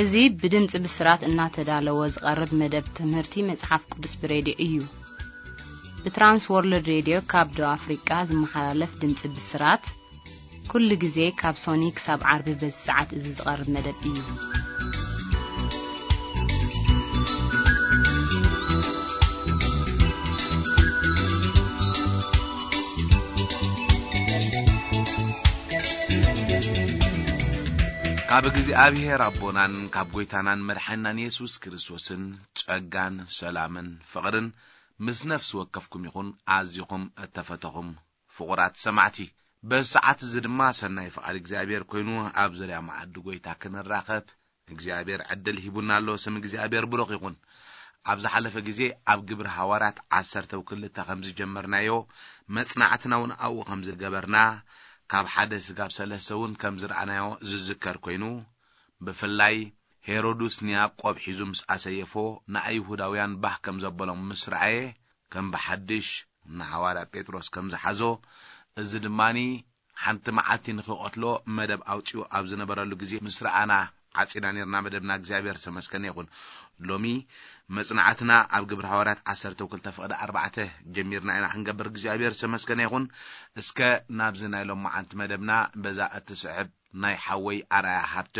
እዚ ብድምጺ ብስራት እናተዳለወ ዝቐርብ መደብ ትምህርቲ መጽሓፍ ቅዱስ ብሬድዮ እዩ። ብትራንስ ወርልድ ሬድዮ ካብ ደቡብ ኣፍሪቃ ዝመሓላለፍ ድምጺ ብስራት፣ ኩሉ ግዜ ካብ ሶኒ ክሳብ ዓርቢ በዚ ሰዓት እዚ ዝቐርብ መደብ እዩ። ካብ እግዚኣብሔር ኣቦናን ካብ ጐይታናን መድሓኒናን የሱስ ክርስቶስን ጸጋን ሰላምን ፍቕርን ምስ ነፍሲ ወከፍኩም ይኹን። ኣዚኹም እተፈተኹም ፍቑራት ሰማዕቲ፣ በዚ ሰዓት እዚ ድማ ሰናይ ፍቓድ እግዚኣብሔር ኮይኑ ኣብ ዙርያ መዓዲ ጐይታ ክንራኸብ እግዚኣብሔር ዕድል ሂቡና ኣሎ። ስም እግዚኣብሔር ብሩኽ ይኹን። ኣብ ዝሓለፈ ግዜ ኣብ ግብሪ ሃዋርያት ዓሰርተ ክልተ ከም ዝጀመርናዮ፣ መጽናዕትና እውን ኣብኡ ከም ዝገበርና፣ ካብ ሓደ ስጋብ ሰለስተ እውን ከም ዝረኣናዮ ዝዝከር ኮይኑ፣ ብፍላይ ሄሮድስ ንያዕቆብ ሒዙ ምስ ኣሰየፎ፣ ንኣይሁዳውያን ባህ ከም ዘበሎም ምስ ረኣየ፣ ከም ብሓድሽ ንሃዋርያ ጴጥሮስ ከም ዝሓዞ፣ እዚ ድማኒ ሓንቲ መዓልቲ ንኽቐትሎ መደብ ኣውጺኡ ኣብ ዝነበረሉ ግዜ ምስ ረኣና ዓጺና ነርና መደብና። እግዚኣብሔር ዝተመስገነ ይኹን። ሎሚ መጽናዕትና ኣብ ግብረ ሃዋርያት ዓሰርተ ክልተ ፍቕዲ ኣርባዕተ ጀሚርና ኢና ክንገብር። እግዚኣብሔር ዝተመስገነ ይኹን። እስከ ናብዚ ናይ ሎማዓንቲ መደብና በዛ እትስዕብ ናይ ሓወይ ኣርኣያ ሃብተ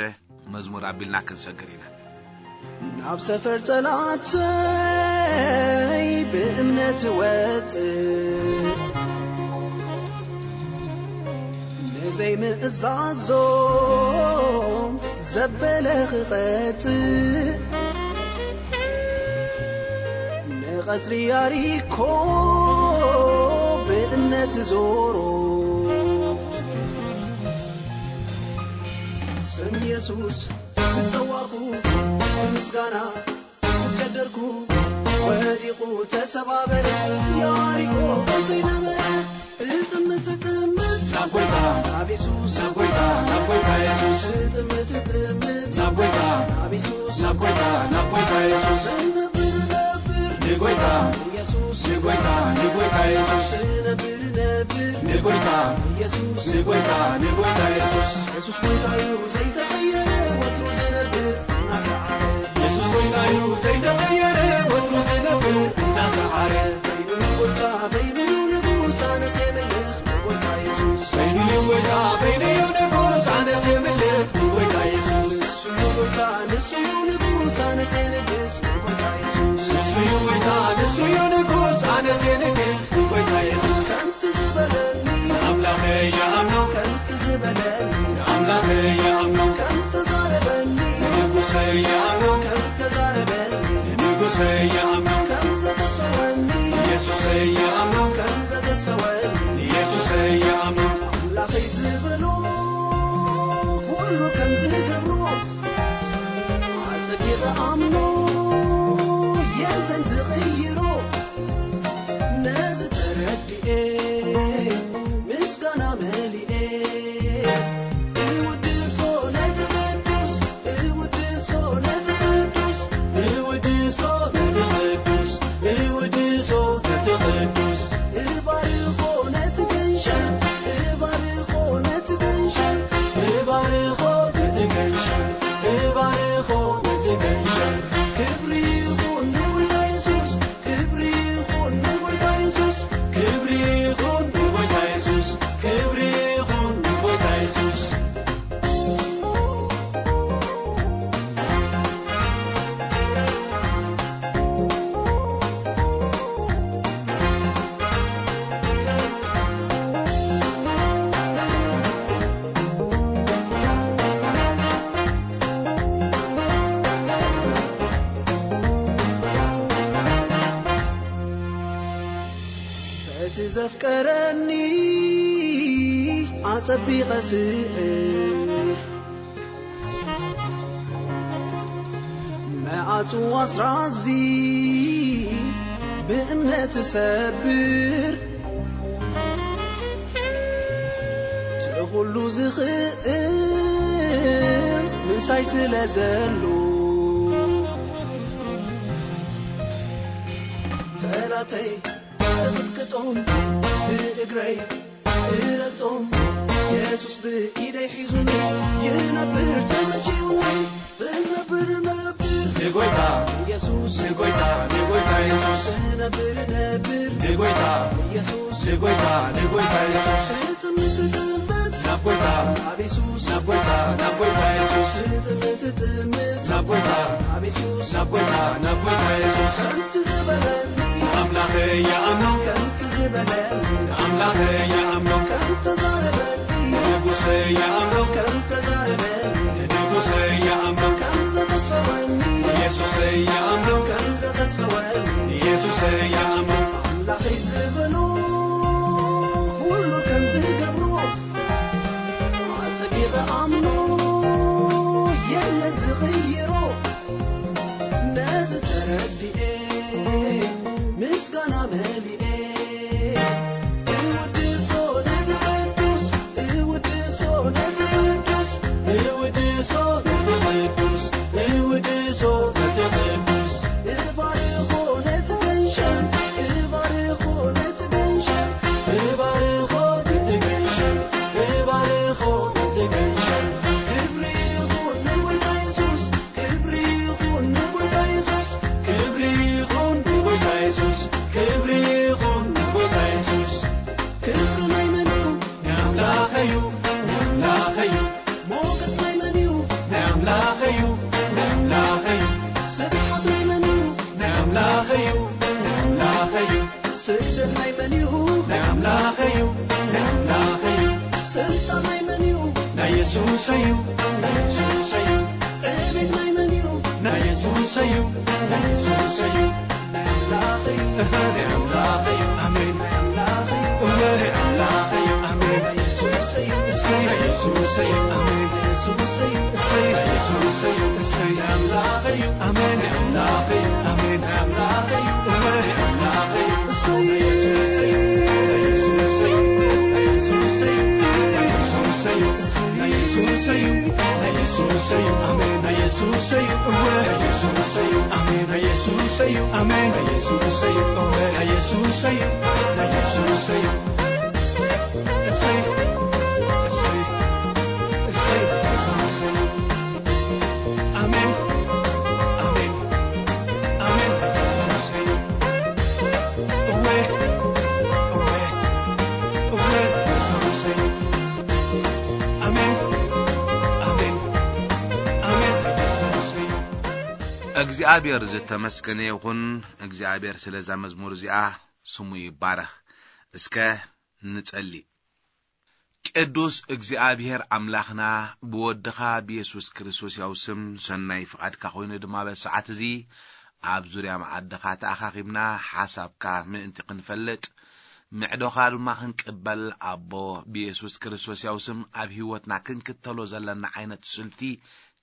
መዝሙር ኣቢልና ክንሰግር ኢና። ናብ ሰፈር ጸላእተይ ብእምነት ወጽእ፣ ንዘይምእዛዞም ዘበለ ክቐጽእ፣ ንቐጽሪ ያሪኮ ብእምነት ዞሮ። ስም የሱስ ጸዋዕኩ፣ ምስጋና ጨደርኩ፣ ወዲቑ ተሰባበረ። ያሪኮ ዘይነበረ እጥምት እጥምት ናብ ጐይታ፣ ናብ የሱስ፣ ናብ ጐይታ፣ ናብ ጐይታ የሱስ። እጥምት እጥምት ናብ ጐይታ፣ ናብ የሱስ፣ ናብ ጐይታ፣ ናብ ጐይታ የሱስ። ነብር ነብር ንጐይታ የሱስ፣ ንጐይታ፣ ንጐይታ የሱስ። ነብር ነብር ንጐይታ የሱስ፣ ንጐይታ፣ ንጐይታ የሱስ። የሱስ ጐይታ እዩ ዘይተቐየረ ወትሩ ዝነብር እናሰዓረ። የሱስ ጐይታ እዩ ዘይተቐየረ ወትሩ ዝነብር እናሰዓረ። በይኑ እዩ ጐይታ፣ በይኑ እዩ ንጉስ፣ ኣነስ የምልኽ ንጐይታ የሱስ። በይኑ እዩ ጐይታ፣ በይኑ እዩ ንጉስ፣ ኣነስ የምልኽ ንጐይታ የሱስ። ንሱ እዩ ጐይታ፣ ንሱ እዩ ንጉስ፣ ኣነስ የንግስ ንጐይታ የሱስ። ንሱ እዩ ጐይታ፣ ንሱ እዩ ንጉስ፣ ኣነስ የንግስ ንጐይታ የሱስ። ከምቲ ዝበለኒ ንኣምላኸይ ይኣምኖ፣ ከምቲ ዝበለኒ ንኣምላኸይ ይኣምኖ፣ ከም ተዛረበኒ ንንጉሰይ ይኣምኖ፣ ከም ተዛረበኒ ንንጉሰይ ይኣምኖ፣ ከም ዘተሰወኒ ንየሱሰይ ይኣምኖ፣ ከም ዘተሰወኒ ንየሱሰይ ይኣምኖ። ኣምላኸይ ዝበሎ ኩሉ ከም ዝገብሮ ኣጸቢቐ ኣምኖ፣ የለን ዝቕይሮ። ነዚ ተረዲኤ ምስጋና መሊኤ እውድሶ ነቲ ቅዱስ፣ እውድሶ ነቲ ቅዱስ፣ እውድሶ ነቲ ቅዱስ፣ እውድሶ ነቲ ቅዱስ። እባርኾ ነቲ ገንሸል፣ እባርኾ ነቲ ገንሸል፣ እባርኾ ነቲ ገንሸል፣ እባርኾ ነቲ ገንሸል። ክብሪ ይኹን ንጎይታ የሱስ፣ ክብሪ ይኹን ንጎይታ የሱስ፣ ክብሪ ይኹን ንጎይታ የሱስ፣ ክብሪ ይኹን ንጎይታ የሱስ። እቲ ዘፍቀረኒ ኣጸቢቐ ስዕር፣ መዓጹ ኣስራዚ ብእምነት ሰብር። እቲ ኩሉ ዝኽእል ምሳይ ስለ ዘሎ፣ ጠላተይ እቕጥቅጦም፣ ብእግረይ እረግጦም። ኢየሱስ ብኢደይ ሒዙኒ ይነብር ተመችዩኒ እነብር ነብር ንጎይታ ኢየሱስ ንጎይታ ንጎይታ ኢየሱስ እነብር ነብር ንጎይታ ኢየሱስ ንጎይታ ንጎይታ ኢየሱስ ትጥምት ትጥምት ናብ ጎይታ ናብ ኢየሱስ ናብ ጎይታ ናብ ጎይታ ኢየሱስ ትጥምት ትጥምት ናብ ጎይታ ናብ ኢየሱስ ናብ ጎይታ ናብ ጎይታ ኢየሱስ ከምቲ ዝበለኒ ኣምላኸ ይኣምኖ ከምቲ ዝበለኒ ኣምላኸ ይኣምኖ ከምቲ ዘረበኒ ንጉሰ ይኣምኖ ከምቲ ዘረበኒ ንጉሰ ይኣምኖ ከምዚ ተስፈወኒ ኢየሱስ ይኣምኖ ከምዚ ተስፈወኒ ኢየሱስ ይኣምኖ ኣምላኸይ ዝበሎ ኩሉ ከም ዝገብሮ ኣጸቢቐ ኣምኖ የለን ዝቕይሮ ነዚ ተረዲኤ ምስጋና መሊኤ እውድሶ ነቲ ቅዱስ እውድሶ ነቲ ቅዱስ እውድሶ ነቲ ቅዱስ እውድሶ ነቲ ቅዱስ እባርኾ ነቲ ገንሸል እባርኾ ነቲ ገንሸል እባርኾ ነቲ ገንሸል እባርኾ ነቲ ገንሸል ክብሪ ይኹን ንጎይታ የሱስ ክብሪ ይኹን ንጎይታ የሱስ ክብሪ ይኹን ንጎይታ የሱስ ክብሪ ይኹን ንጎይታ የሱስ ክብሪ ናይ መን እዩ ናይ ኣምላኸ እዩ ናይ ኣምላኸ እዩ ሞገስ ናይ መን እዩ ናይ ኣምላኸ እዩ ናይ ኣምላኸ እዩ ስብሓት ናይ መን እዩ ናይ ኣምላኸ እዩ ናይ ኣምላኸ እዩ ስደት ናይ መን እዩ ናይ ኣምላኸ እዩ ናይ ኣምላኸ እዩ ስልጣን ናይ መን እዩ ናይ የሱስ እዩ ናይ የሱስ እዩ ዕቤት ናይ መን እዩ ናይ የሱስ እዩ ናይ የሱስ እዩ ናይ ኣምላኸ እዩ ናይ ኣምላኸ እዩ ኣሜን ናይ ኣምላኸ እዩ እወ ናይ ኣምላኸ እዩ ኣሜን ናይ የሱስ እዩ እሰይ ናይ የሱስ እዩ ኣሜን ናይ የሱስ እዩ እሰይ ናይ የሱስ እዩ እሰይ ናይ ኣምላኸ እዩ ኣሜን ናይ ኣምላኸ እዩ ኣሜን ናይ ኣምላኸ እዩ እወ ናይ ኣምላኸ እዩ እሰይ ናይ የሱስ እዩ ናይ የሱስ እዩ ናይ የሱስ እዩ ናይ የሱስ እዩ ናይ የሱስ እዩ ኣሜን ናይ የሱስ እዩ እወ ናይ የሱስ እዩ ኣሜን ናይ የሱስ እዩ ኣሜን ናይ የሱስ እዩ እወ ናይ የሱስ እዩ ናይ የሱስ እዩ እሰይ እሰይ እሰይ ናይ የሱስ እዩ ኣሜን ኣሜን ኣሜን ናይ የሱስ እዩ እወ እወ እወ ናይ የሱስ እዩ ኣሜን ኣሜን ኣሜን ናይ የሱስ እዩ እግዚኣብሔር ዝተመስገነ ይኹን እግዚኣብሔር ስለዛ መዝሙር እዚኣ ስሙ ይባረኽ እስከ ንጸሊ ቅዱስ እግዚኣብሔር ኣምላኽና ብወድኻ ብየሱስ ክርስቶስ ያው ስም ሰናይ ፍቓድካ ኮይኑ ድማ በሰዓት እዚ ኣብ ዙርያ መዓድኻ ተኣኻኺብና ሓሳብካ ምእንቲ ክንፈልጥ ምዕዶኻ ድማ ክንቅበል ኣቦ ብየሱስ ክርስቶስ ያው ስም ኣብ ህይወትና ክንክተሎ ዘለና ዓይነት ስልቲ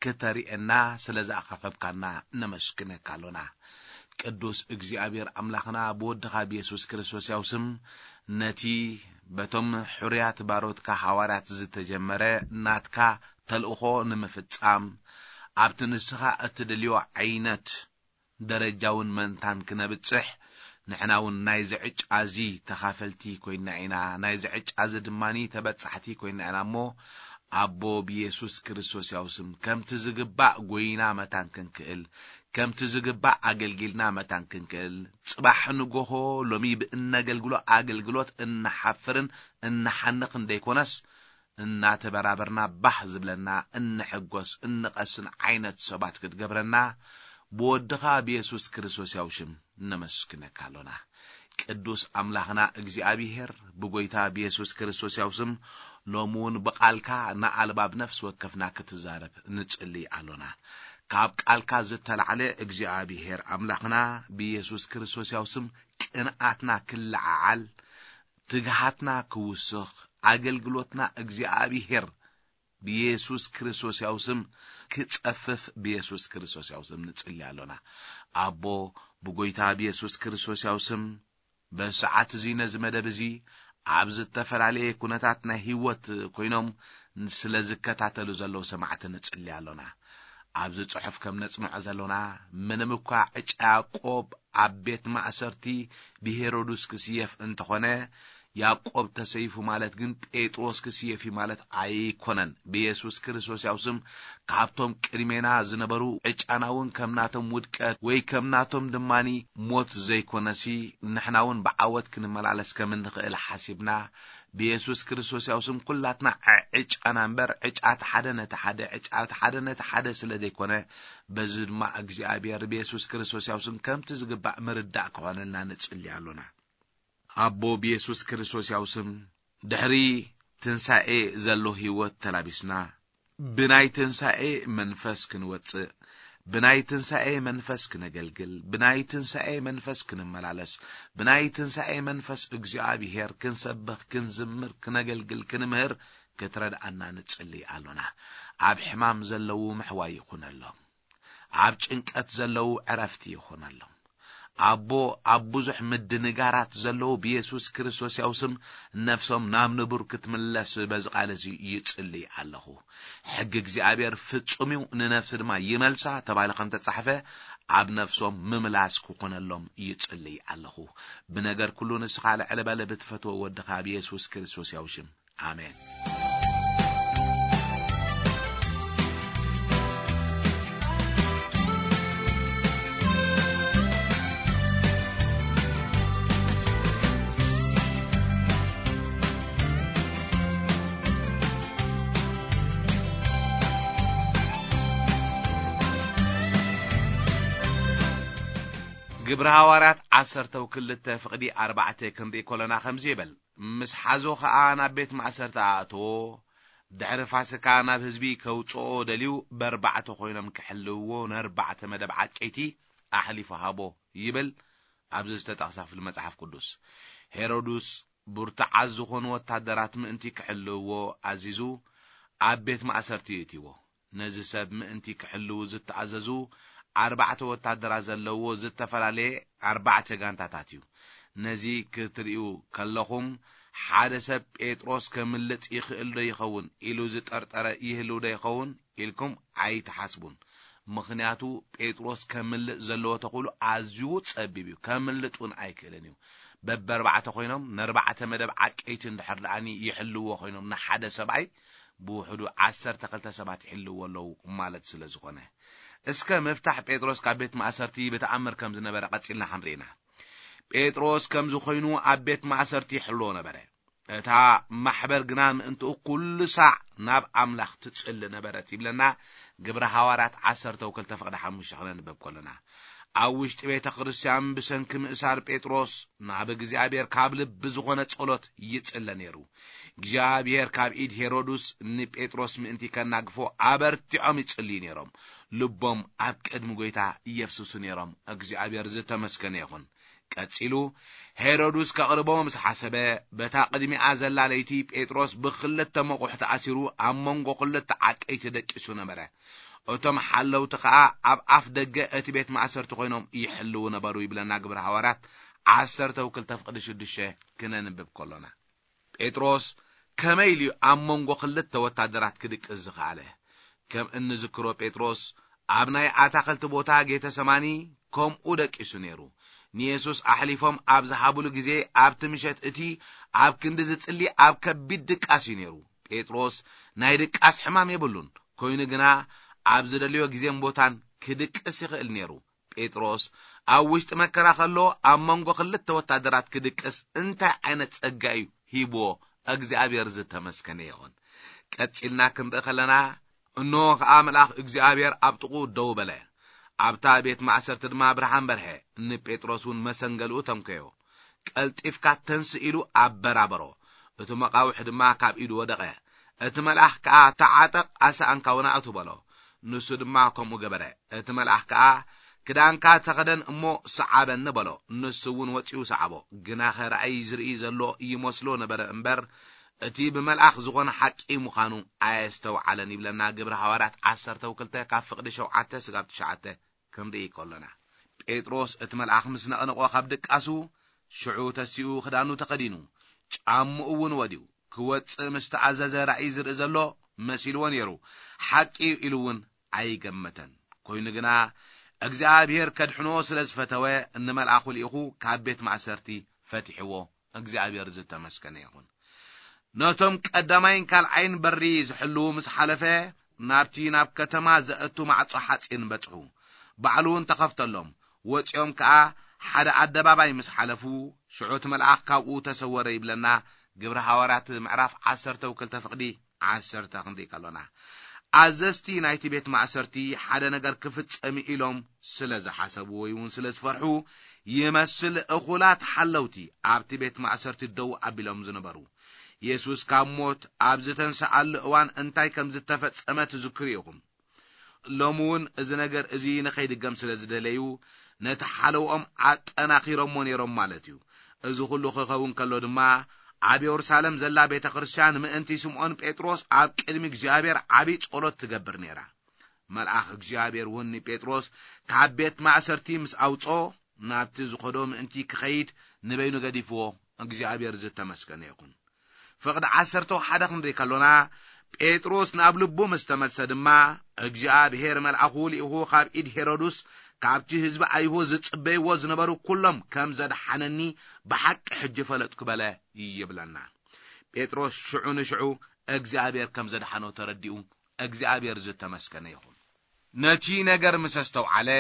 ክተርእየና ስለ ዝኣኻኸብካና ነመስግነካ ኣሎና። ቅዱስ እግዚኣብሔር ኣምላኽና ብወድኻ ብየሱስ ክርስቶስ ያው ስም ነቲ በቶም ሕሩያት ባሮትካ ሃዋርያት ዝተጀመረ ናትካ ተልእኾ ንምፍጻም ኣብቲ ንስኻ እትደልዮ ዓይነት ደረጃውን መንታን ክነብጽሕ ንሕና እውን ናይዚ ዕጫ እዚ ተኻፈልቲ ኮይና ኢና። ናይዚ ዕጫ እዚ ድማ ተበጻሕቲ ኮይና ኢና እሞ ኣቦ ብየሱስ ክርስቶስ ያው ስም ከምቲ ዝግባእ ጎይና መታን ክንክእል ከምቲ ዝግባእ ኣገልጊልና መታን ክንክእል ጽባሕ ንጎሆ ሎሚ ብእነገልግሎ ኣገልግሎት እንሓፍርን እንሓንኽን ደይኮነስ እናተበራበርና ባህ ዝብለና እንሕጎስ እንቐስን ዓይነት ሰባት ክትገብረና ብወድኻ ብየሱስ ክርስቶስ ያው ሽም ነመስግነካ ኣሎና። ቅዱስ ኣምላኽና እግዚኣብሔር ብጎይታ ብየሱስ ክርስቶስ ያው ስም ሎሚ እውን ብቓልካ ንኣልባብ ነፍሲ ወከፍና ክትዛረብ ንጽልይ ኣሎና። ካብ ቃልካ ዝተላዕለ እግዚኣብሔር ኣምላኽና ብየሱስ ክርስቶስ ያው ስም ቅንኣትና ክለዓዓል ትግሃትና ክውስኽ ኣገልግሎትና እግዚኣብሔር ብየሱስ ክርስቶስ ያው ስም ክጸፍፍ ብየሱስ ክርስቶስ ያው ስም ንጽሊ ኣሎና። ኣቦ ብጎይታ ብየሱስ ክርስቶስ ያው ስም በሰዓት እዚ ነዚ መደብ እዚ ኣብ ዝተፈላለየ ኩነታት ናይ ህይወት ኮይኖም ስለ ዝከታተሉ ዘለዉ ሰማዕቲ ንጽሊ ኣሎና። ኣብዚ ጽሑፍ ከም ነጽንዖ ዘሎና ምንም እኳ ዕጫ ያዕቆብ ኣብ ቤት ማእሰርቲ ብሄሮድስ ክስየፍ እንተኾነ ያዕቆብ ተሰይፉ ማለት ግን ጴጥሮስ ክስየፍ እዩ ማለት ኣይኮነን። ብየሱስ ክርስቶስ ያው ስም ካብቶም ቅድሜና ዝነበሩ ዕጫና እውን ከም ናቶም ውድቀት ወይ ከም ናቶም ድማኒ ሞት ዘይኮነሲ፣ ንሕና እውን ብዓወት ክንመላለስ ከም እንኽእል ሓሲብና ብየሱስ ክርስቶስ ያው ስም ኩላትና ዕጫና እምበር ዕጫ እቲ ሓደ ነቲ ሓደ ዕጫ እቲ ሓደ ነቲ ሓደ ስለ ዘይኮነ፣ በዚ ድማ እግዚኣብሔር ብየሱስ ክርስቶስ ያው ስም ከምቲ ዝግባእ ምርዳእ ክኾነልና ንጽሊ ኣሎና። ኣቦ ብየሱስ ክርስቶስ ያው ስም ድሕሪ ትንሳኤ ዘሎ ህይወት ተላቢስና ብናይ ትንሳኤ መንፈስ ክንወጽእ፣ ብናይ ትንሳኤ መንፈስ ክነገልግል፣ ብናይ ትንሳኤ መንፈስ ክንመላለስ፣ ብናይ ትንሳኤ መንፈስ እግዚኣብሔር ክንሰብኽ፣ ክንዝምር፣ ክነገልግል፣ ክንምህር ክትረድኣና ንጽሊ ኣሎና። ኣብ ሕማም ዘለዉ ምሕዋይ ይኹነሎም። ኣብ ጭንቀት ዘለዉ ዕረፍቲ ይኹነሎም። ኣቦ ኣብ ብዙሕ ምድንጋራት ዘለዉ ብየሱስ ክርስቶስ ያው ስም ነፍሶም ናብ ንቡር ክትምለስ በዚ ቃል እዚ ይጽሊ ኣለኹ። ሕጊ እግዚኣብሔር ፍጹም እዩ፣ ንነፍሲ ድማ ይመልሳ ተባሂሉ ከም ተጻሕፈ ኣብ ነፍሶም ምምላስ ክኾነሎም ይጽሊ ኣለኹ። ብነገር ኩሉ ንስኻ ልዕሊ በለ ብትፈትዎ ወድኻ ብየሱስ ክርስቶስ ያው ሽም። ኣሜን። ግብሪ ሃዋርያት ዓሰርተው ክልተ ፍቕዲ ኣርባዕተ ክንርኢ ከለና ከምዚ ይብል፣ ምስ ሓዞ ኸኣ ናብ ቤት ማእሰርቲ ኣእተዎ። ድሕሪ ፋስካ ናብ ህዝቢ ከውጽኦ ደልዩ በርባዕተ ኮይኖም ክሕልውዎ ነርባዕተ መደብ ዓቀይቲ ኣሕሊፉ ሃቦ ይብል ኣብዚ ዝተጠቕሳ ክፍሊ መጽሓፍ ቅዱስ። ሄሮድስ ብርቱዓት ዝኾኑ ወታደራት ምእንቲ ክሕልውዎ ኣዚዙ ኣብ ቤት ማእሰርቲ የእትይዎ። ነዚ ሰብ ምእንቲ ክሕልዉ ዝተኣዘዙ ኣርባዕተ ወታደራት ዘለዎ ዝተፈላለየ ኣርባዕተ ጋንታታት እዩ። ነዚ ክትርእዩ ከለኹም ሓደ ሰብ ጴጥሮስ ከምልጥ ይኽእል ዶ ይኸውን ኢሉ ዝጠርጠረ ይህልው ዶ ይኸውን ኢልኩም ኣይትሓስቡን። ምኽንያቱ ጴጥሮስ ከምልጥ ዘለዎ ተኽእሎ ኣዝዩ ጸቢብ እዩ። ከምልጥ እውን ኣይክእልን እዩ። በበርባዕተ ኮይኖም ነርባዕተ መደብ ዓቀይቲ እንድሕር ደኣኒ ይሕልዎ ኮይኖም ንሓደ ሰብኣይ ብውሕዱ ዓሰርተ ክልተ ሰባት ይሕልዎ ኣለዉ ማለት ስለ ዝኾነ። እስከ ምፍታሕ ጴጥሮስ ካብ ቤት ማእሰርቲ ብተኣምር ከም ዝነበረ ቀጺልና ክንርኢ ኢና። ጴጥሮስ ከምዚ ኮይኑ ኣብ ቤት ማእሰርቲ ይሕልዎ ነበረ። እታ ማሕበር ግና ምእንትኡ ኩሉ ሳዕ ናብ ኣምላኽ ትጽሊ ነበረት ይብለና። ግብረ ሃዋርያት ዓሰርተ ክልተ ፍቕዲ ሓሙሽተ ክነንበብ ከለና፣ ኣብ ውሽጢ ቤተ ክርስቲያን ብሰንኪ ምእሳር ጴጥሮስ ናብ እግዚኣብሔር ካብ ልቢ ዝኾነ ጸሎት ይጽለ ነይሩ። እግዚኣብሔር ካብ ኢድ ሄሮድስ ንጴጥሮስ ምእንቲ ከናግፎ ኣበርቲዖም ይጽልዩ ነይሮም። ልቦም ኣብ ቅድሚ ጐይታ የፍስሱ ነይሮም። እግዚኣብሔር ዝተመስገነ ይኹን። ቀጺሉ ሄሮድስ ከቕርቦ ምስ ሓሰበ፣ በታ ቅድሚኣ ዘላ ለይቲ ጴጥሮስ ብኽልተ መቑሕ ተኣሲሩ ኣብ መንጎ ክልተ ዓቀይቲ ደቂሱ ነበረ። እቶም ሓለውቲ ኸኣ ኣብ ኣፍ ደገ እቲ ቤት ማእሰርቲ ኮይኖም ይሕልዉ ነበሩ ይብለና ግብረ ሃዋርያት ዓሰርተ ክልተ ፍቕዲ ሽዱሽተ ክነንብብ ከሎና። ጴጥሮስ ከመይ ኢሉ ኣብ መንጎ ክልተ ወታደራት ክድቅስ ዝኸኣለ? ከም እንዝክሮ ጴጥሮስ ኣብ ናይ ኣታኽልቲ ቦታ ጌተሰማኒ ከምኡ ደቂሱ ነይሩ። ንየሱስ ኣሕሊፎም ኣብ ዝሃብሉ ግዜ ኣብቲ ምሸት እቲ ኣብ ክንዲ ዝጽሊ ኣብ ከቢድ ድቃስ እዩ ነይሩ። ጴጥሮስ ናይ ድቃስ ሕማም የብሉን፣ ኮይኑ ግና ኣብ ዝደልዮ ግዜን ቦታን ክድቅስ ይኽእል ነይሩ። ጴጥሮስ ኣብ ውሽጢ መከራ ከሎ ኣብ መንጎ ክልተ ወታደራት ክድቅስ እንታይ ዓይነት ጸጋ እዩ ሂብዎ? እግዚኣብሔር ዝተመስገነ ይኹን። ቀጺልና ክንርኢ ከለና፣ እንሆ ኸኣ መልኣኽ እግዚኣብሔር ኣብ ጥቕኡ ደው በለ። ኣብታ ቤት ማእሰርቲ ድማ ብርሃን በርሀ። ንጴጥሮስ እውን መሰንገሊኡ ተንከዮ። ቀልጢፍካ ተንስእ ኢሉ ኣበራበሮ። እቲ መቓውሕ ድማ ካብ ኢዱ ወደቐ። እቲ መልኣኽ ከኣ፣ ተዓጠቕ፣ ኣሰኣንካ እውን ኣእቱ በሎ። ንሱ ድማ ከምኡ ገበረ። እቲ መልኣኽ ከኣ፣ ክዳንካ ተኸደን እሞ ሰዓበኒ በሎ። ንሱ እውን ወጺኡ ሰዓቦ። ግናኸ ራእይ ዝርኢ ዘሎ ይመስሎ ነበረ እምበር፣ እቲ ብመልኣኽ ዝኾነ ሓቂ ምዃኑ ኣየስተውዓለን ይብለና ግብሪ ሃዋርያት ዓሰርተ ክልተ ካብ ፍቕዲ ሸውዓተ ስጋብ ትሽዓተ ክንርኢ ከሎና። ጴጥሮስ እቲ መልኣኽ ምስ ነቕነቖ ካብ ድቃሱ፣ ሽዑ ተሲኡ ክዳኑ ተኸዲኑ፣ ጫምኡ እውን ወድዩ፣ ክወጽእ ምስ ተኣዘዘ ራእይ ዝርኢ ዘሎ መሲልዎ ነይሩ። ሓቂ እዩ ኢሉ እውን ኣይገመተን። ኮይኑ ግና እግዚኣብሔር ከድሕኖ ስለ ዝፈተወ፣ ንመልኣኹ ልኢኹ ካብ ቤት ማእሰርቲ ፈቲሕዎ እግዚኣብሔር ዝተመስገነ ይኹን። ነቶም ቀዳማይን ካልኣይን በሪ ዝሕልዉ ምስ ሓለፈ፣ ናብቲ ናብ ከተማ ዘእቱ ማዕጾ ሓጺን በጽሑ። ባዕሉ እውን ተኸፍተሎም። ወጺኦም ከኣ ሓደ ኣደባባይ ምስ ሓለፉ፣ ሽዑ እቲ መልኣኽ ካብኡ ተሰወረ ይብለና ግብሪ ሃዋርያት ምዕራፍ ዓሰርተ ክልተ ፍቕዲ ዓሰርተ ክንርኢ ከሎና። ኣዘዝቲ ናይቲ ቤት ማእሰርቲ ሓደ ነገር ክፍጸም ኢሎም ስለ ዝሓሰቡ ወይ እውን ስለ ዝፈርሑ ይመስል፣ እኹላት ሓለውቲ ኣብቲ ቤት ማእሰርቲ ደው ኣቢሎም ዝነበሩ። የሱስ ካብ ሞት ኣብ ዝተንስኣሉ እዋን እንታይ ከም ዝተፈጸመ ትዝክሩ ኢኹም። ሎሚ እውን እዚ ነገር እዚ ንኸይድገም ስለ ዝደለዩ፣ ነቲ ሓለውኦም ኣጠናኺሮሞ ነይሮም ማለት እዩ። እዚ ኹሉ ክኸውን ከሎ ድማ፣ ኣብ የሩሳሌም ዘላ ቤተ ክርስቲያን ምእንቲ ስምዖን ጴጥሮስ ኣብ ቅድሚ እግዚኣብሔር ዓቢ ጸሎት ትገብር ነይራ። መልኣኽ እግዚኣብሔር እውን ንጴጥሮስ ካብ ቤት ማእሰርቲ ምስ ኣውጾ፣ ናብቲ ዝኸዶ ምእንቲ ክኸይድ ንበይኑ ገዲፍዎ እግዚኣብሔር ዝተመስገነ ይኹን። ፍቕዲ ዓሰርተ ሓደ ክንርኢ ከሎና፣ ጴጥሮስ ናብ ልቡ ምስ ተመልሰ ድማ፣ እግዚኣብሔር መልኣኹ ልኢኹ ካብ ኢድ ሄሮድስ፣ ካብቲ ህዝቢ ኣይሁድ ዝጽበይዎ ዝነበሩ ኩሎም ከም ዘድሓነኒ ብሓቂ ሕጂ ፈለጥኩ በለ ይብለና። ጴጥሮስ ሽዑ ንሽዑ እግዚኣብሔር ከም ዘድሓኖ ተረዲኡ፣ እግዚኣብሔር ዝተመስገነ ይኹን። ነቲ ነገር ምስ ኣስተውዓለ፣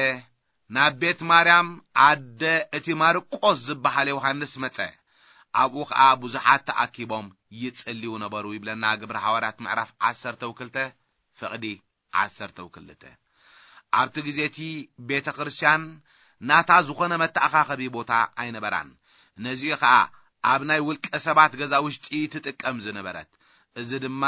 ናብ ቤት ማርያም ኣደ እቲ ማርቆስ ዝበሃል ዮሃንስ መጸ። ኣብኡ ኸኣ ብዙሓት ተኣኪቦም ይጽልዩ ነበሩ ይብለና ግብሪ ሃዋርያት ምዕራፍ ዓሰርተ ክልተ ፍቕዲ ዓሰርተ ክልተ። ኣብቲ ግዜ እቲ ቤተ ክርስቲያን ናታ ዝኾነ መተኣኻኸቢ ቦታ ኣይነበራን። ነዚኡ ኸኣ ኣብ ናይ ውልቀ ሰባት ገዛ ውሽጢ ትጥቀም ዝነበረት። እዚ ድማ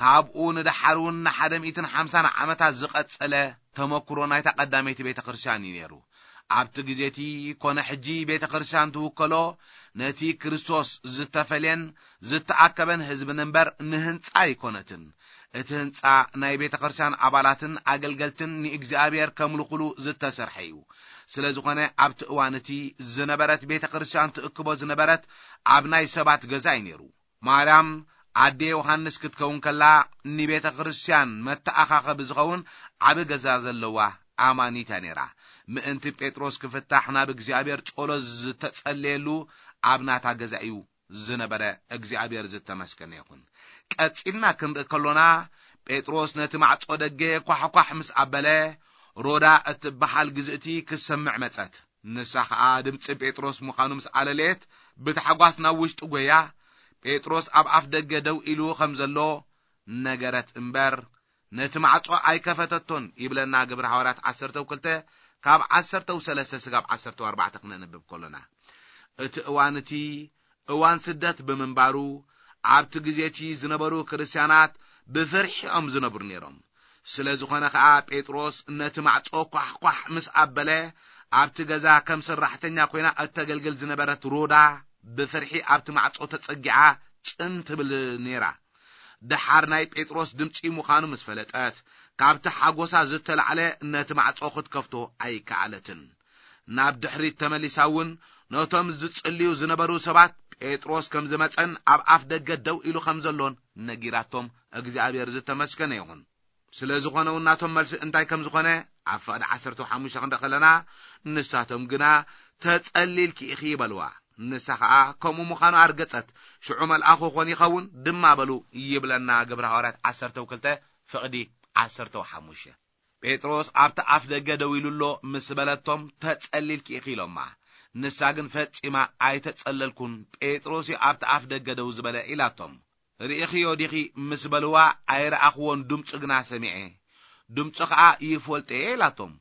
ካብኡ ንደሓር እውን ንሓደ ሚእትን ሓምሳን ዓመታት ዝቐጸለ ተመክሮ ናይታ ቀዳመይቲ ቤተ ክርስቲያን እዩ ነይሩ። ኣብቲ ግዜ እቲ ኮነ ሕጂ ቤተ ክርስቲያን ትውከሎ ነቲ ክርስቶስ ዝተፈልየን ዝተኣከበን ህዝብን እምበር ንህንጻ ኣይኮነትን። እቲ ህንጻ ናይ ቤተ ክርስቲያን ኣባላትን ኣገልገልትን ንእግዚኣብሔር ከምልኹሉ ዝተሰርሐ እዩ። ስለ ዝኾነ ኣብቲ እዋን እቲ ዝነበረት ቤተ ክርስቲያን ትእክቦ ዝነበረት ኣብ ናይ ሰባት ገዛ እዩ ነይሩ። ማርያም ኣዴ ዮሃንስ ክትከውን ከላ ንቤተ ክርስቲያን መተኣኻኸቢ ዝኸውን ዓቢ ገዛ ዘለዋ ኣማኒት እያ ነይራ። ምእንቲ ጴጥሮስ ክፍታሕ ናብ እግዚኣብሔር ጸሎት ዝተጸለየሉ ኣብ ናታ ገዛ እዩ ዝነበረ። እግዚኣብሔር ዝተመስገነ ይኹን። ቀጺልና ክንርኢ ከሎና ጴጥሮስ ነቲ ማዕጾ ደገ ኳሕኳሕ ምስ ኣበለ ሮዳ እትበሃል ግዝእቲ ክትሰምዕ መጸት። ንሳ ኸኣ ድምጺ ጴጥሮስ ምዃኑ ምስ ኣለለየት ብታሕጓስ ናብ ውሽጢ ጐያ። ጴጥሮስ ኣብ ኣፍ ደገ ደው ኢሉ ከም ዘሎ ነገረት እምበር ነቲ ማዕጾ ኣይከፈተቶን ይብለና ግብሪ ሃዋርያት ዓሰርተ ክልተ ካብ ዓሰርተ ሰለስተ ስጋብ ዓሰርተ ኣርባዕተ ክነንብብ ከሎና። እቲ እዋን እቲ እዋን ስደት ብምንባሩ ኣብቲ ግዜ እቲ ዝነበሩ ክርስትያናት ብፍርሒ እዮም ዝነብሩ ነይሮም። ስለ ዝኾነ ኸኣ ጴጥሮስ ነቲ ማዕጾ ኳሕኳሕ ምስ ኣበለ ኣብቲ ገዛ ከም ሰራሕተኛ ኮይና እተገልግል ዝነበረት ሮዳ ብፍርሒ ኣብቲ ማዕጾ ተጸጊዓ ጽን ትብል ነይራ። ደሓር ናይ ጴጥሮስ ድምጺ ምዃኑ ምስ ፈለጠት ካብቲ ሓጎሳ ዝተላዕለ ነቲ ማዕጾ ክትከፍቶ ኣይከኣለትን። ናብ ድሕሪት ተመሊሳ እውን ነቶም ዝጽልዩ ዝነበሩ ሰባት ጴጥሮስ ከም ዝመጸን ኣብ ኣፍ ደገ ደው ኢሉ ከም ዘሎን ነጊራቶም እግዚኣብሔር ዝተመስገነ ይኹን። ስለ ዝኾነ እውን ናቶም መልሲ እንታይ ከም ዝኾነ ኣብ ፍቕዲ ዓሰርተ ሓሙሽተ ክንደ ከለና ንሳቶም ግና ተጸሊልኪ ኢኺ ይበልዋ። ንሳ ኸኣ ከምኡ ምዃኑ ኣርገጸት። ሽዑ መልኣኹ ኾን ይኸውን ድማ በሉ ይብለና ግብረ ሃዋርያት ዓሰርተ ክልተ ፍቕዲ ዓሰርተ ሓሙሽተ። ጴጥሮስ ኣብቲ ኣፍ ደገ ደው ኢሉ ኣሎ ምስ በለቶም ተጸሊልኪ ኢኺ ኢሎማ። ንሳ ግን ፈጺማ ኣይተጸለልኩን፣ ጴጥሮስ እዩ ኣብቲ ኣፍ ደገ ደው ዝበለ ኢላቶም። ርኢኽዮ ዲኺ ምስ በልዋ ኣይረኣኽዎን፣ ድምፁ ግና ሰሚዐ፣ ድምፁ ኸዓ ይፈልጦ እየ ኢላቶም።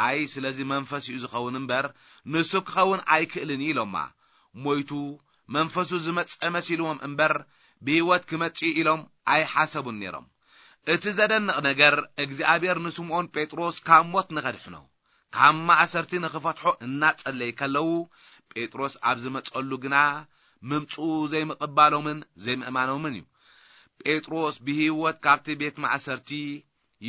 ኣይ ስለዚ መንፈስ እዩ ዝኸውን እምበር ንሱ ክኸውን ኣይክእልን እዩ ኢሎማ። ሞይቱ መንፈሱ ዝመጸ መሲልዎም እምበር ብህይወት ክመጽእ እዩ ኢሎም ኣይሓሰቡን ነይሮም። እቲ ዘደንቕ ነገር እግዚኣብሔር ንስምዖን ጴጥሮስ ካብ ሞት ንኸድሕኖ ካብ ማእሰርቲ ንኽፈትሖ እናጸለይ ከለዉ ጴጥሮስ ኣብ ዝመጸሉ ግና ምምጽኡ ዘይምቕባሎምን ዘይምእማኖምን እዩ። ጴጥሮስ ብህይወት ካብቲ ቤት ማእሰርቲ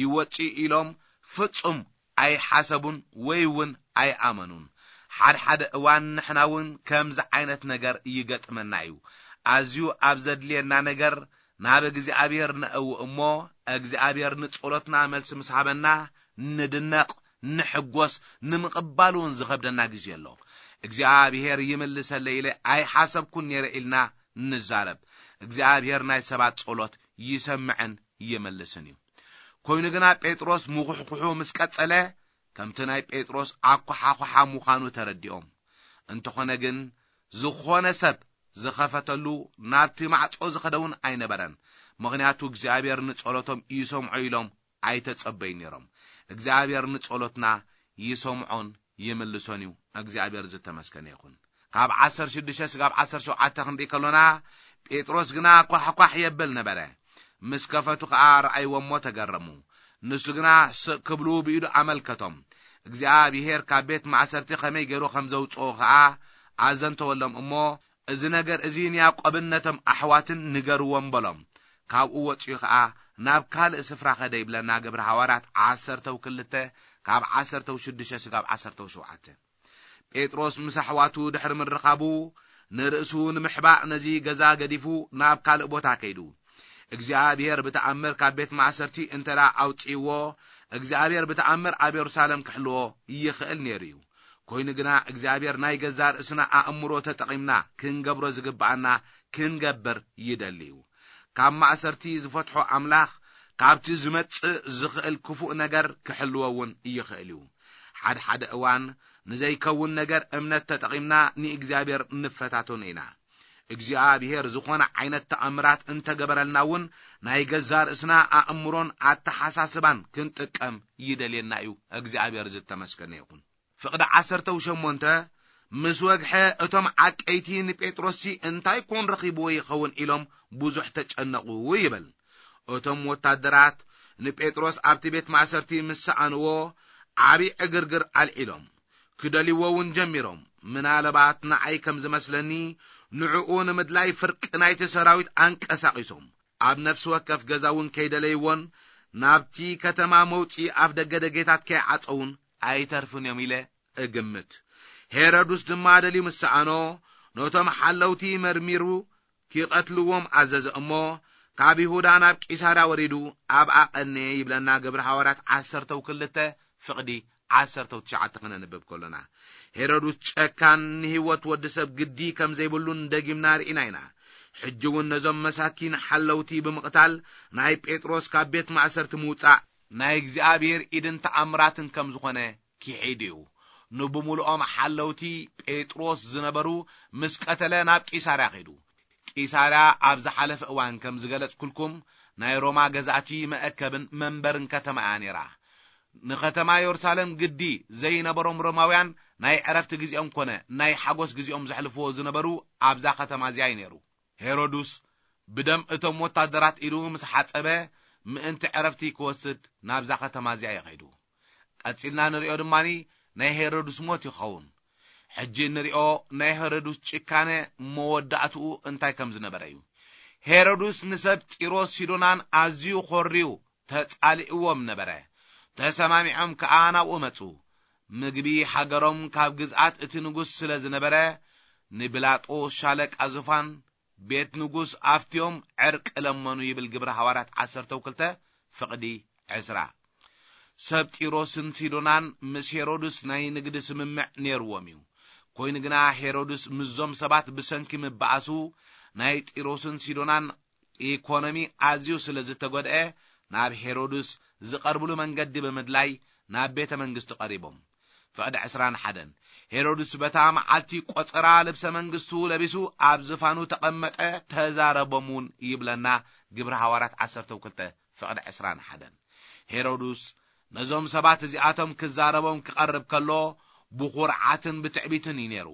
ይወጽእ ኢሎም ፍጹም ኣይሓሰቡን ወይ እውን ኣይኣመኑን። ሓድሓደ እዋን ንሕና እውን ከምዚ ዓይነት ነገር ይገጥመና እዩ። ኣዝዩ ኣብ ዘድልየና ነገር ናብ እግዚኣብሔር ነእው እሞ እግዚኣብሔር ንጸሎትና መልሲ ምስ ሃበና ንድነቕ፣ ንሕጎስ፣ ንምቕባል እውን ዝኸብደና ግዜ ኣሎ። እግዚኣብሔር ይምልሰለይ ኢለ ኣይሓሰብኩን ነይረ ኢልና ንዛረብ። እግዚኣብሔር ናይ ሰባት ጸሎት ይሰምዕን ይምልስን እዩ። ኮይኑ ግና ጴጥሮስ ምኹሕኩሑ ምስ ቀጸለ፣ ከምቲ ናይ ጴጥሮስ ኣኳሓኹሓ ምዃኑ ተረዲኦም። እንተኾነ ግን፣ ዝኾነ ሰብ ዝኸፈተሉ ናብቲ ማዕጾ ዝኸደ እውን ኣይነበረን። ምኽንያቱ እግዚኣብሔር ንጸሎቶም ይሰምዖ ኢሎም ኣይተጸበዩ ነይሮም። እግዚኣብሔር ንጸሎትና ይሰምዖን ይምልሶን እዩ። እግዚኣብሔር ዝተመስገነ ይኹን። ካብ ዓሰርተ ሽዱሽተ ስጋብ ዓሰርተ ሸውዓተ ክንርኢ ከሎና፣ ጴጥሮስ ግና ኳሕኳሕ የብል ነበረ። ምስ ከፈቱ ኸኣ ረኣይዎ እሞ ተገረሙ። ንሱ ግና ስቕ ክብሉ ብኢዱ ኣመልከቶም። እግዚኣብሔር ካብ ቤት ማእሰርቲ ኸመይ ገይሩ ከም ዘውጽኦ ኸኣ ኣዘንተወሎም እሞ፣ "እዚ ነገር እዚ ንያዕቆብን ነቶም ኣሕዋትን ንገርዎም" በሎም። ካብኡ ወጺኡ ኸኣ ናብ ካልእ ስፍራ ኸደ ይብለና ግብሪ ሃዋርያት ዓሰርተው ክልተ ካብ ዓሰርተው ሽዱሽተ ስጋብ ዓሰርተው ሸውዓተ። ጴጥሮስ ምስ ኣሕዋቱ ድሕሪ ምርኻቡ፣ ንርእሱ ንምሕባእ ነዚ ገዛ ገዲፉ ናብ ካልእ ቦታ ከይዱ። እግዚኣብሔር ብተኣምር ካብ ቤት ማእሰርቲ እንተ ደኣ ኣውጺእዎ፣ እግዚኣብሔር ብተኣምር ኣብ የሩሳሌም ክሕልዎ ይኽእል ነይሩ እዩ። ኮይኑ ግና እግዚኣብሔር ናይ ገዛ ርእስና ኣእምሮ ተጠቒምና ክንገብሮ ዝግብኣና ክንገብር ይደሊ እዩ። ካብ ማእሰርቲ ዝፈትሖ ኣምላኽ ካብቲ ዝመጽእ ዝኽእል ክፉእ ነገር ክሕልዎ እውን ይኽእል እዩ። ሓድሓደ እዋን ንዘይከውን ነገር እምነት ተጠቒምና ንእግዚኣብሔር ንፈታተኖ ኢና። እግዚኣብሔር ዝኾነ ዓይነት ተኣምራት እንተገበረልና እውን ናይ ገዛ ርእስና ኣእምሮን ኣተሓሳስባን ክንጥቀም ይደልየና እዩ። እግዚኣብሔር ዝተመስገነ ይኹን። ፍቕዲ ዓሰርተው ሸሞንተ ምስ ወግሐ እቶም ዓቀይቲ ንጴጥሮስሲ እንታይ ኮን ረኺብዎ ይኸውን ኢሎም ብዙሕ ተጨነቑ ይብል። እቶም ወታደራት ንጴጥሮስ ኣብቲ ቤት ማእሰርቲ ምስ ሰኣንዎ ዓቢ ዕግርግር ኣልዒሎም ክደልይዎ እውን ጀሚሮም። ምናልባት ንዓይ ከም ዝመስለኒ ንዕኡ ንምድላይ ፍርቂ ናይቲ ሰራዊት ኣንቀሳቒሶም ኣብ ነፍሲ ወከፍ ገዛ እውን ከይደለይዎን ናብቲ ከተማ መውጽኢ ኣፍ ደገ ደጌታት ከይዓጸውን ኣይተርፍን እዮም ኢለ እግምት። ሄሮድስ ድማ ደልዩ ምስ ሰኣኖ ነቶም ሓለውቲ መርሚሩ ኪቐትልዎም ኣዘዘ እሞ ካብ ይሁዳ ናብ ቂሳርያ ወሪዱ ኣብኣ ቀነየ ይብለና ግብሪ ሃዋርያት ዓሰርተው ክልተ ፍቕዲ ዓሰርተው ትሽዓተ ክነንብብ ከሎና። ሄሮድስ ጨካን ንህይወት ወዲ ሰብ ግዲ ከም ዘይብሉን ደጊምና ርኢና ኢና። ሕጂ እውን ነዞም መሳኪን ሓለውቲ ብምቕታል ናይ ጴጥሮስ ካብ ቤት ማእሰርቲ ምውጻእ ናይ እግዚኣብሔር ኢድን ተኣምራትን ከም ዝኾነ ክሒድ እዩ። ንብምሉኦም ሓለውቲ ጴጥሮስ ዝነበሩ ምስ ቀተለ ናብ ቂሳርያ ከይዱ። ቂሳርያ ኣብ ዝሓለፈ እዋን ከም ዝገለጽኩልኩም ናይ ሮማ ገዛእቲ መእከብን መንበርን ከተማ እያ ነይራ። ንከተማ የሩሳሌም ግዲ ዘይነበሮም ሮማውያን ናይ ዕረፍቲ ግዜኦም ኮነ ናይ ሓጎስ ግዜኦም ዘሕልፍዎ ዝነበሩ ኣብዛ ከተማ እዚኣ እዩ ነይሩ። ሄሮድስ ብደም እቶም ወታደራት ኢዱ ምስ ሓጸበ ምእንቲ ዕረፍቲ ክወስድ ናብዛ ከተማ እዚኣ እዩ ከይዱ። ቀጺልና ንሪኦ ድማ ናይ ሄሮድስ ሞት ይኸውን። ሕጂ እንሪኦ ናይ ሄሮድስ ጭካነ መወዳእትኡ እንታይ ከም ዝነበረ እዩ። ሄሮድስ ንሰብ ጢሮስ ሲዶናን ኣዝዩ ኾርዩ ተጻሊእዎም ነበረ። ተሰማሚዖም ከኣ ናብኡ መጹ። ምግቢ ሃገሮም ካብ ግዝኣት እቲ ንጉስ ስለ ዝነበረ ንቢላጦስ ሻለቃ ዙፋን ቤት ንጉስ ኣፍትዮም ዕርቂ ለመኑ ይብል ግብሪ ሃዋርያት ዓሰርተው ክልተ ፍቕዲ ዕስራ። ሰብ ጢሮስን ሲዶናን ምስ ሄሮድስ ናይ ንግዲ ስምምዕ ነይርዎም እዩ። ኮይኑ ግና ሄሮድስ ምስዞም ሰባት ብሰንኪ ምበኣሱ ናይ ጢሮስን ሲዶናን ኢኮኖሚ ኣዝዩ ስለ ዝተጎድአ ናብ ሄሮድስ ዝቐርብሉ መንገዲ ብምድላይ ናብ ቤተ መንግስቲ ቀሪቦም። ፍቕዲ ዕስራን ሓደን። ሄሮድስ በታ መዓልቲ ቆጸራ ልብሰ መንግስቱ ለቢሱ ኣብ ዝፋኑ ተቐመጠ፣ ተዛረቦም እውን ይብለና ግብሪ ሃዋርያት ዓሰርተው ክልተ ፍቕዲ ዕስራን ሓደን። ሄሮድስ ነዞም ሰባት እዚኣቶም ክዛረቦም ክቐርብ ከሎ ብኹርዓትን ብትዕቢትን እዩ ነይሩ።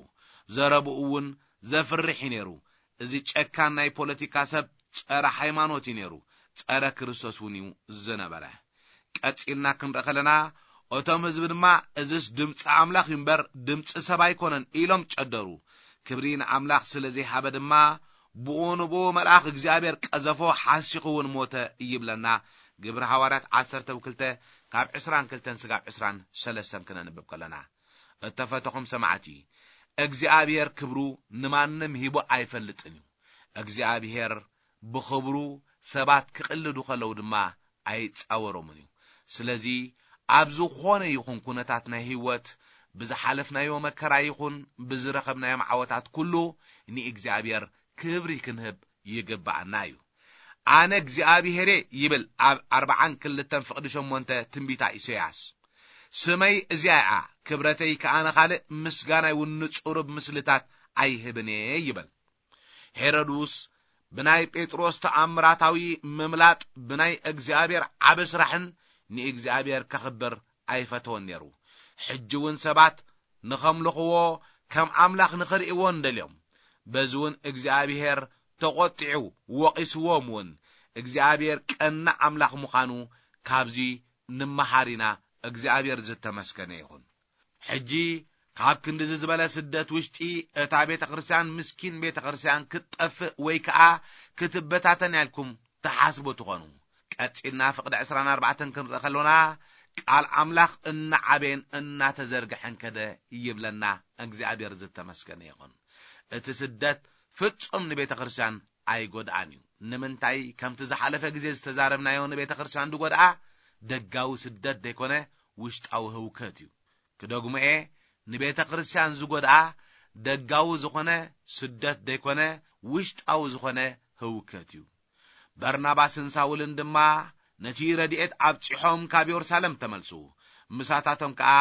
ዘረብኡ እውን ዘፍርሕ እዩ ነይሩ። እዚ ጨካን ናይ ፖለቲካ ሰብ ጸረ ሃይማኖት እዩ ነይሩ፣ ጸረ ክርስቶስ እውን እዩ ዝነበረ። ቀጺልና ክንርኢ ከለና፣ እቶም ህዝቢ ድማ፣ "እዝስ ድምጺ ኣምላኽ እዩ እምበር ድምጺ ሰብ ኣይኮነን" ኢሎም ጨደሩ። ክብሪ ንኣምላኽ ስለ ዘይሃበ ድማ፣ ብኡ ንብኡ መልኣኽ እግዚኣብሔር ቀዘፎ፣ ሓሲኹ እውን ሞተ ይብለና ግብሪ ሃዋርያት ዓሰርተ ክልተ ካብ ዕስራን ክልተን ስጋብ ዕስራን ሰለስተን ክነንብብ ከለና። እተፈተኹም ሰማዕቲ፣ እግዚኣብሔር ክብሩ ንማንም ሂቡ ኣይፈልጥን እዩ። እግዚኣብሔር ብኽብሩ ሰባት ክቕልዱ ከለዉ ድማ ኣይጻወሮምን እዩ። ስለዚ ኣብ ዝኾነ ይኹን ኩነታት ናይ ህይወት ብዝሓለፍናዮ መከራ ይኹን ብዝረኸብናዮም ዓወታት ኩሉ ንእግዚኣብሔር ክብሪ ክንህብ ይግብኣና እዩ። ኣነ እግዚኣብሔር እየ ይብል ኣብ ኣርብዓን ክልተን ፍቕዲ ሸሞንተ ትንቢታ ኢሳያስ። ስመይ እዚኣ እያ፣ ክብረተይ ከኣ ንኻልእ፣ ምስጋናይ እውን ንጽሩብ ምስልታት ኣይህብን እየ ይብል። ሄሮድስ ብናይ ጴጥሮስ ተኣምራታዊ ምምላጥ ብናይ እግዚኣብሔር ዓቢ ስራሕን ንእግዚኣብሔር ከኽብር ኣይፈተወን ነይሩ። ሕጂ እውን ሰባት ንኸምልኽዎ ከም ኣምላኽ ንኽርእይዎ እንደልዮም። በዚ እውን እግዚኣብሔር ተቖጢዑ ወቒስዎም እውን። እግዚኣብሔር ቀናእ ኣምላኽ ምዃኑ ካብዚ ንመሃር ኢና። እግዚኣብሔር ዝተመስገነ ይኹን። ሕጂ ካብ ክንድዚ ዝበለ ስደት ውሽጢ እታ ቤተ ክርስቲያን ምስኪን ቤተ ክርስቲያን ክትጠፍእ ወይ ከኣ ክትበታተን ኢልኩም ትሓስቡ ትኾኑ። ቀጺልና ፍቕዲ ዕስራን ኣርባዕተን ክንርኢ ከሎና ቃል ኣምላኽ እናዓበየን እናተዘርግሐን ከደ ይብለና። እግዚኣብሔር ዝተመስገነ ይኹን። እቲ ስደት ፍጹም ንቤተ ክርስቲያን ኣይጎድኣን እዩ። ንምንታይ? ከምቲ ዝሓለፈ ግዜ ዝተዛረብናዮ ንቤተ ክርስቲያን ዝጎድኣ ደጋዊ ስደት ዘይኮነ ውሽጣዊ ህውከት እዩ። ክደግሞ እየ፣ ንቤተ ክርስቲያን ዝጎድኣ ደጋዊ ዝኾነ ስደት ዘይኮነ ውሽጣዊ ዝኾነ ህውከት እዩ። በርናባስን ሳውልን ድማ ነቲ ረድኤት ኣብጺሖም ካብ የሩሳሌም ተመልሱ። ምሳታቶም ከኣ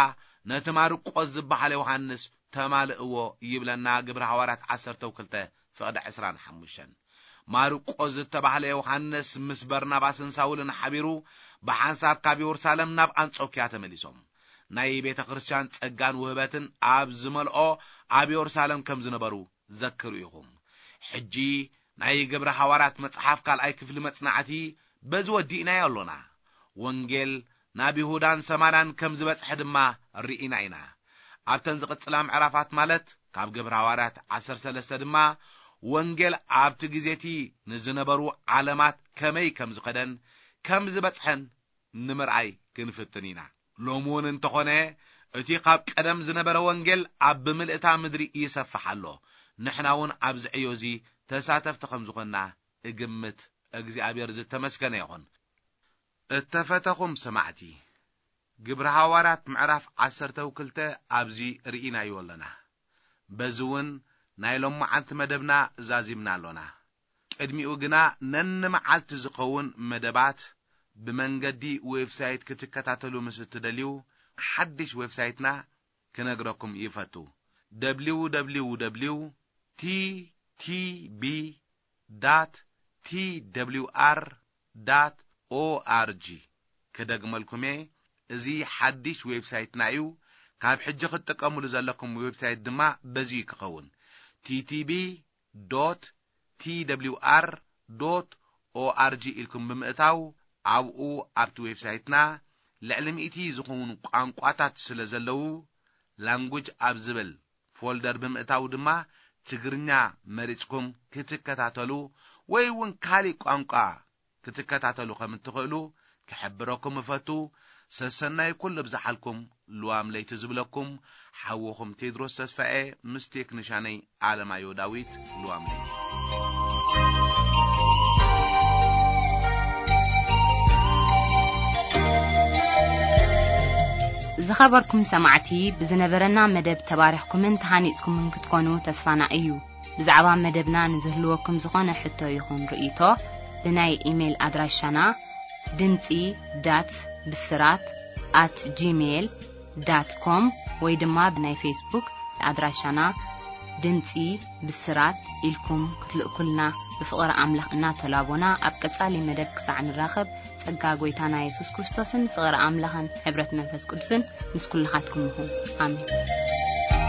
ነቲ ማርቆስ ዝበሃል ዮሃንስ ተማልእዎ ይብለና ግብሪ ሃዋርያት ዓሰርተ ክልተ ፍቕዲ ዕስራን ሓሙሽተን። ማርቆስ ዝተባህለ ዮሃንስ ምስ በርናባስን ሳውልን ሓቢሩ ብሓንሳብ ካብ የሩሳሌም ናብ ኣንጾክያ ተመሊሶም። ናይ ቤተ ክርስቲያን ጸጋን ውህበትን ኣብ ዝመልኦ ኣብ የሩሳሌም ከም ዝነበሩ ዘክሩ ኢኹም። ሕጂ ናይ ግብሪ ሃዋርያት መጽሓፍ ካልኣይ ክፍሊ መጽናዕቲ በዚ ወዲእናዮ ኣሎና። ወንጌል ናብ ይሁዳን ሰማርያን ከም ዝበጽሐ ድማ ርኢና ኢና። ኣብተን ዝቕጽላ ምዕራፋት ማለት ካብ ግብሪ ሃዋርያት ዓሰርተ ሰለስተ ድማ ወንጌል ኣብቲ ግዜቲ ንዝነበሩ ዓለማት ከመይ ከም ዝኸደን ከም ዝበጽሐን ንምርኣይ ክንፍትን ኢና። ሎሚ እውን እንተኾነ እቲ ካብ ቀደም ዝነበረ ወንጌል ኣብ ብምልእታ ምድሪ ይሰፍሕ ኣሎ። ንሕና እውን ኣብዚ ዕዮ እዚ ተሳተፍቲ ከም ዝኾንና እግምት። እግዚኣብሔር ዝተመስገነ ይኹን። እተፈተኹም ሰማዕቲ፣ ግብሪ ሃዋርያት ምዕራፍ ዓሰርተ ክልተ ኣብዚ ርኢናዮ ኣለና። በዚ እውን ናይ ሎመዓልቲ መደብና ዛዚምና ኣሎና። ቅድሚኡ ግና ነንመዓልቲ ዝኸውን መደባት ብመንገዲ ዌብሳይት ክትከታተሉ ምስ እትደልዩ፣ ሓድሽ ዌብሳይትና ክነግረኩም ይፈቱ። ደብሊው ደብሊው ደብሊው ቲ ቲ ቢ ዳት ቲ ደብሊው ኣር ዳት ኦ ኣር ጂ። ክደግመልኩም እየ፣ እዚ ሓድሽ ዌብሳይትና እዩ። ካብ ሕጂ ክትጥቀምሉ ዘለኩም ዌብሳይት ድማ በዚ እዩ ክኸውን። ቲ ቲ ቢ ዶት ቲ ደብሊው ኣር ዶት ኦ ኣር ጂ ኢልኩም ብምእታው፣ ኣብኡ ኣብቲ ዌብሳይትና ልዕሊ ሚእቲ ዝኾኑ ቋንቋታት ስለ ዘለዉ፣ ላንጉጅ ኣብ ዝብል ፎልደር ብምእታው ድማ ትግርኛ መሪጽኩም ክትከታተሉ ወይ እውን ካሊእ ቋንቋ ክትከታተሉ ከም እትኽእሉ ክሕብረኩም እፈቱ። ሰሰናይ ኩሉ ብዝሓልኩም ልዋም ለይቲ ዝብለኩም ሓውኹም ቴድሮስ ተስፋኤ ምስ ቴክኒሻነይ ኣለማዮ ዳዊት። ልዋም ለይቲ። ዝኸበርኩም ሰማዕቲ፣ ብዝነበረና መደብ ተባሪኽኩምን ተሃኒጽኩምን ክትኮኑ ተስፋና እዩ። ብዛዕባ መደብና ንዝህልወኩም ዝኾነ ሕቶ ይኹን ርእይቶ፣ ብናይ ኢሜይል ኣድራሻና ድምጺ ዳት ብስራት ኣት ጂሜይል ዳት ኮም ወይ ድማ ብናይ ፌስቡክ ኣድራሻና ድምጺ ብስራት ኢልኩም ክትልእኩልና ብፍቕሪ ኣምላኽ እናተላቦና፣ ኣብ ቀጻሊ መደብ ክሳዕ ንራኸብ፣ ጸጋ ጐይታና የሱስ ክርስቶስን ፍቕሪ ኣምላኽን ሕብረት መንፈስ ቅዱስን ምስ ኩልኻትኩም ይኹን። ኣሜን።